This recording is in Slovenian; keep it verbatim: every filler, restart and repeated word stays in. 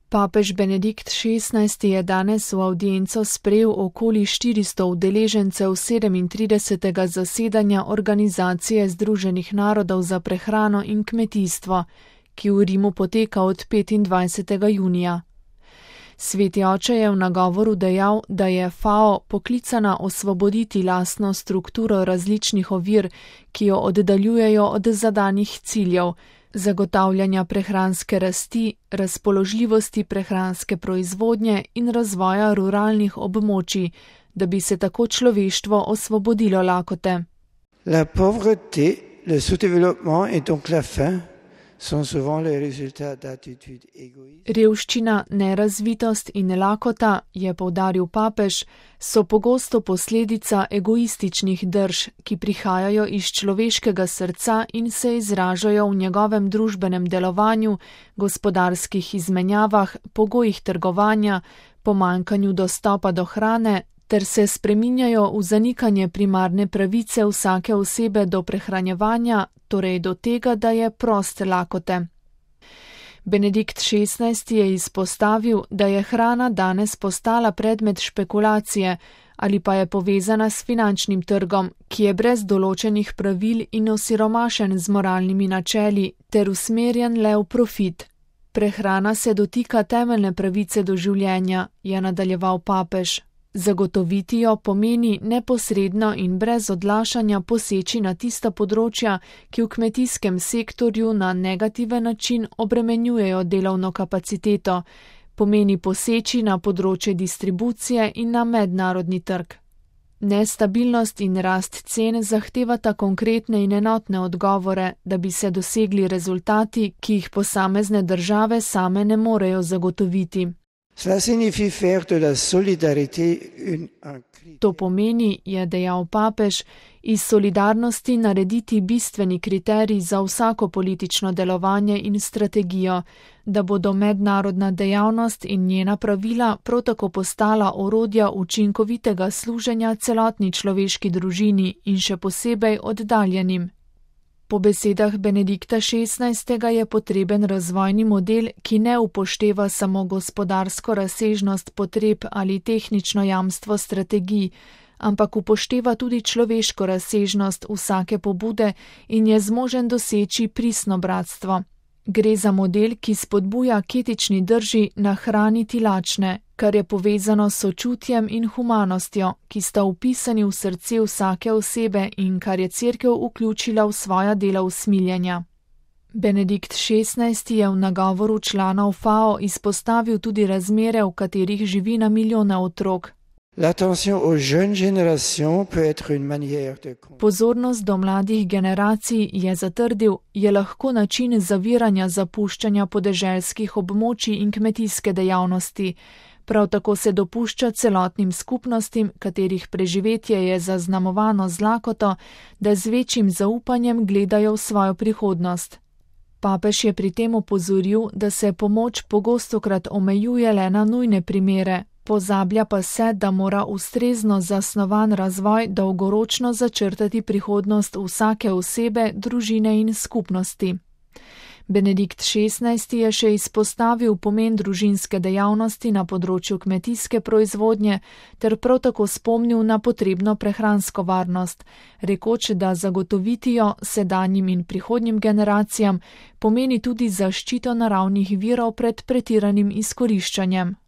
Papež Benedikt šestnajsti je danes v avdienco sprejel okoli štiristo udeležencev sedemintridesetega zasedanja Organizacije Združenih narodov za prehrano in kmetijstvo, ki v Rimu poteka od petindvajsetega junija. Sveti oče je v nagovoru dejal, da je F A O poklicana osvoboditi lastno strukturo različnih ovir, ki jo oddaljujejo od zadanih ciljev, zagotavljanja prehranske rasti, razpoložljivosti prehranske proizvodnje in razvoja ruralnih območij, da bi se tako človeštvo osvobodilo lakote. La pauvreté, le sous-développement et donc la faim sont souvent les résultats d'attitudes égoïstes. Revščina, nerazvitost in lakota, je poudaril papež, so pogosto posledica egoističnih drž, ki prihajajo iz človeškega srca in se izražajo v njegovem družbenem delovanju, gospodarskih izmenjavah, pogojih trgovanja, pomanjkanju dostopa do hrane, ter se spreminjajo v zanikanje primarne pravice vsake osebe do prehranjevanja, torej do tega, da je prost lakote. Benedikt šestnajsti je izpostavil, da je hrana danes postala predmet špekulacije ali pa je povezana s finančnim trgom, ki je brez določenih pravil in osiromašen z moralnimi načeli ter usmerjen le v profit. Prehrana se dotika temeljne pravice do življenja, je nadaljeval papež. Zagotoviti jo pomeni neposredno in brez odlašanja poseči na tista področja, ki v kmetijskem sektorju na negativen način obremenjujejo delovno kapaciteto, pomeni poseči na področje distribucije in na mednarodni trg. Nestabilnost in rast cen zahtevata konkretne in enotne odgovore, da bi se dosegli rezultati, ki jih posamezne države same ne morejo zagotoviti. To pomeni, je dejal papež, iz solidarnosti narediti bistveni kriterij za vsako politično delovanje in strategijo, da bodo mednarodna dejavnost in njena pravila prav tako postala orodja učinkovitega služenja celotni človeški družini in še posebej oddaljenim. Po besedah Benedikta šestnajstega je potreben razvojni model, ki ne upošteva samo gospodarsko razsežnost potreb ali tehnično jamstvo strategij, ampak upošteva tudi človeško razsežnost vsake pobude in je zmožen doseči pristno bratstvo. Gre za model, ki spodbuja k etični drži nahraniti lačne, kar je povezano s sočutjem in humanostjo, ki sta vpisani v srce vsake osebe in kar je Cerkev vključila v svoja dela usmiljenja. Benedikt šestnajsti je v nagovoru članov F A O izpostavil tudi razmere, v katerih živi na milijone otrok. Pozornost do mladih generacij, je zatrdil, je lahko način zaviranja zapuščanja podeželskih območij in kmetijske dejavnosti. Prav tako se dopušča celotnim skupnostim, katerih preživetje je zaznamovano z lakoto, da z večjim zaupanjem gledajo v svojo prihodnost. Papež je pri tem opozoril, da se pomoč pogostokrat omejuje le na nujne primere, pozablja pa se, da mora ustrezno zasnovan razvoj dolgoročno začrtati prihodnost vsake osebe, družine in skupnosti. Benedikt šestnajsti je še izpostavil pomen družinske dejavnosti na področju kmetijske proizvodnje ter prav tako spomnil na potrebno prehransko varnost, rekoč, da zagotoviti jo sedanjim in prihodnjim generacijam pomeni tudi zaščito naravnih virov pred pretiranim izkoriščanjem.